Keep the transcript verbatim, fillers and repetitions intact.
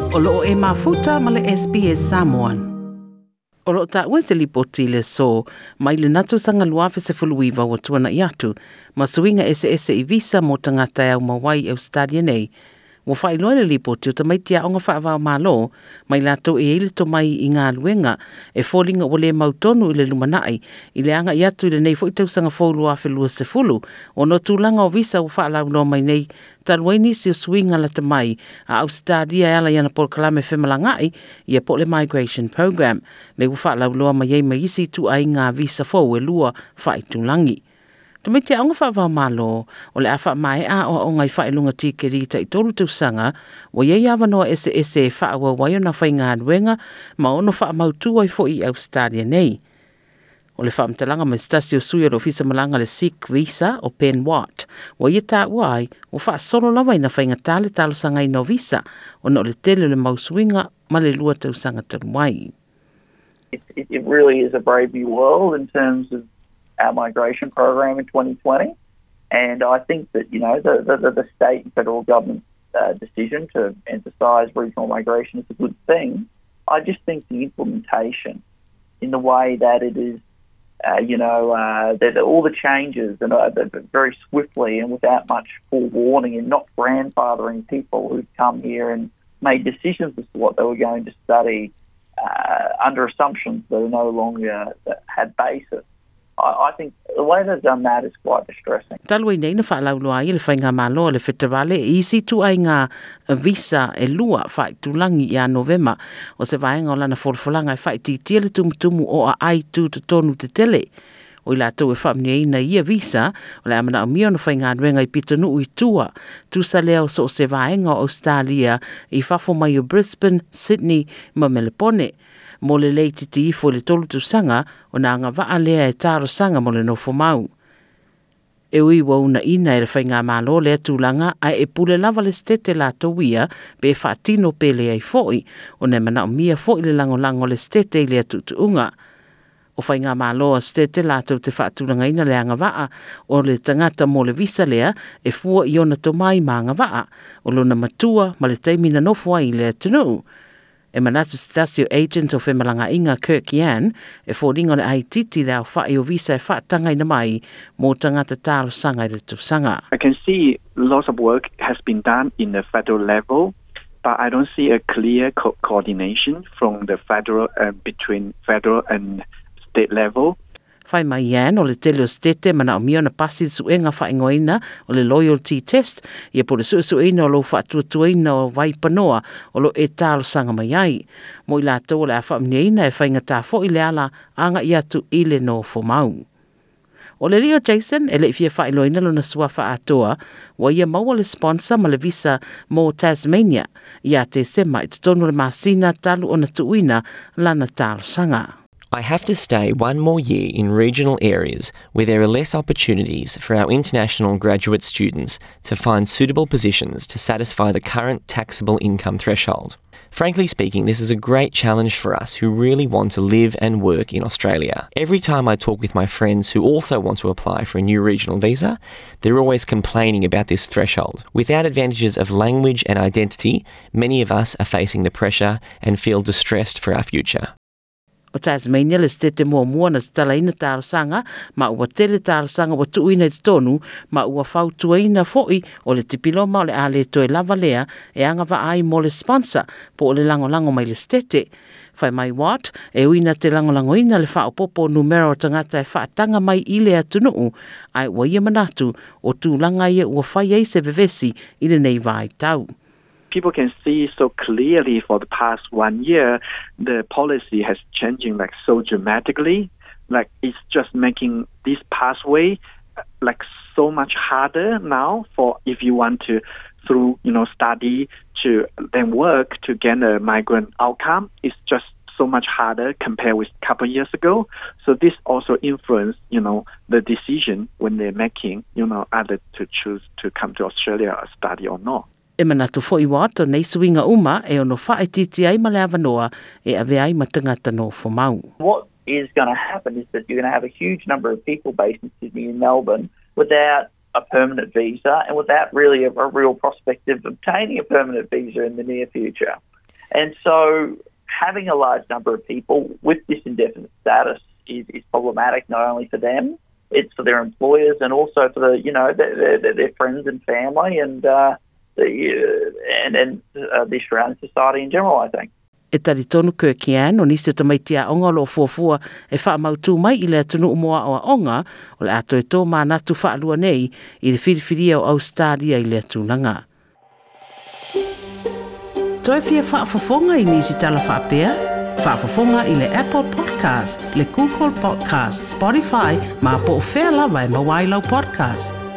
O loo e mafuta ma le S B S Samoan. O loo taua se lipoti le so mai le nato sanga luafe se fuluiva ua tuana i atu ma suiga ese ese i visa mo tagata e aumau ai Australia nei. Ua faailoa le lipoti o tamaiti aoga faava-o-Malo mai latou e ai le tomai i galuega e foliga ua le mautonu i le lumanai i le agai atu i lenei foi tausaga fou luafe luasefulu ona o tulaga o visa ua faalauloa mai nei talu ai nisi o suiga lata mai a Ausetalia e ala i ana polokalame femalagaai ia po o le migration program le ua faalauloa mai ai ma isi ituaiga visa fou e lua faaitulagi. Tamaiti aoga faava-o-Malo o le a faamaea aoaoga i faailoga tikeri tai tolu tausaga ua iai avanoa eseese e faaauau ai ona faigaluega ma ono faamautu ai foi i Australia nei. O le faamatalaga mai se tasi o sui o le ofisa malaga le Seek Visa o Ben Watt, ua ia taua ai ua faasolo lava ina faigata le talosagaina o visa ona o le tele o le mau suiga ma le lua tausaga talu ai. It, it, it really is a brave new world in terms of our migration program in twenty twenty. And I think that, you know, the, the, the state and federal government's uh, decision to emphasise regional migration is a good thing. I just think the implementation in the way that it is, uh, you know, uh, that all the changes and uh, very swiftly and without much forewarning and not grandfathering people who've come here and made decisions as to what they were going to study uh, under assumptions that are no longer that had basis. I, I think the way they've done that is quite distressing. Talu ai nei na faalauloa ai le faigamalo le feterale i isi ituaiga visa e lua faaitulagi ia Novema o se vaega o lana folafolaga e faaitiitia le tumutumu o aai tutotonu tetele. O i latou e faamanuiaina ia visa o le a manaomia ona faigaluega i pitonuu i tua tusa lea o so o se vaega o Australia i fafo mai o Brisbane, Sydney ma Melepone. Mo le le itiiti ifo i le tolu tausaga ona agavaa lea e talosaga mo le nofo mau. E ui ua uunaina e le faigamalo lea tulaga ae e pule lava le setete latou ia pe faatino pe leai foi ona e manaomia foi le lagolago o le setete i lea tuutuuga. O faigamalo a setete latou te faatulagaina le agavaa o le tagata mo le visa lea e fua i ona tomai ma agavaa o lona matua ma le taimi na nofo ai i le atunuu. E manatu se tasi o agent o femalagaaiga Kirk Yan e foliga o le aititi le aofai o visa e faatagaina mai mo tagata talosaga i le tausaga. I can see lots of work has been done in the federal level, but I don't see a clear co- coordination from the federal uh, between federal and state level. Fai mai Yan o le tele o setete manaomia ona pasi le suega faaigoaina o le loyalty test ia po le suesueina o lou faatuatuaina o vaipanoa o lo e talosaga mai ai. Mo i latou o le a faamanuiaina e faigata foi le ala agai atu i le nofo mau. O le lio Jason e le fia faailoaina lona suafa atoa ua ia maua le sponsor ma le visa mo Tasmania ia Tesema i totonu le masina talu ona tuuina lana talosaga. I have to stay one more year in regional areas where there are less opportunities for our international graduate students to find suitable positions to satisfy the current taxable income threshold. Frankly speaking, this is a great challenge for us who really want to live and work in Australia. Every time I talk with my friends who also want to apply for a new regional visa, they're always complaining about this threshold. Without advantages of language and identity, many of us are facing the pressure and feel distressed for our future. O Tasmania le setete muamua na tatalaina talosaga ma ua tele talosaga ua tuuina i totonu ma ua fautuaina foi o le tipiloma o le a le toe lava lea e agavaa ai mo le sponsor po o le lagolago mai le setete. Fai mai Watt e ui ina te lagolagoina le faaopoopo numera o tagata e faataga mai i le atunuu ae ua ia manatu o tulaga ia ua fai ai se vevesi i lenei vaitau. People can see so clearly for the past one year, the policy has changing like so dramatically. Like, it's just making this pathway uh, like so much harder now for if you want to through you know study to then work to gain a migrant outcome. It's just so much harder compared with a couple of years ago. So this also influence you know the decision when they're making you know either to choose to come to Australia or study or not. E manatu foi Watt o nei suiga uma e ono faaitiiti ai ma le avanoa e avea ai ma tagata nofo mau. What is going to happen is that you're going to have a huge number of people based in Sydney and Melbourne without a permanent visa and without really a, a real prospect of obtaining a permanent visa in the near future. And so having a large number of people with this indefinite status is, is problematic not only for them, it's for their employers and also for the, you know, their, their, their friends and family and, uh, the, uh, and, and uh, the Australian society in general, I think. E talitonu Kirk Yan o nisi o tamaiti a'oga o lo'o fuafua e fa'amautū mai i le atunu'u mo a'oa'oga o le a toe tō manatu fa'alua nei i le filifilia o Ausetalia i lea tulaga. Toe fia fa'afofoga i nisi tala fa'apea? Fa'afofoga i le Apple Podcast, le Google Podcast, Spotify, ma po o fea lava e maua ai lau podcast.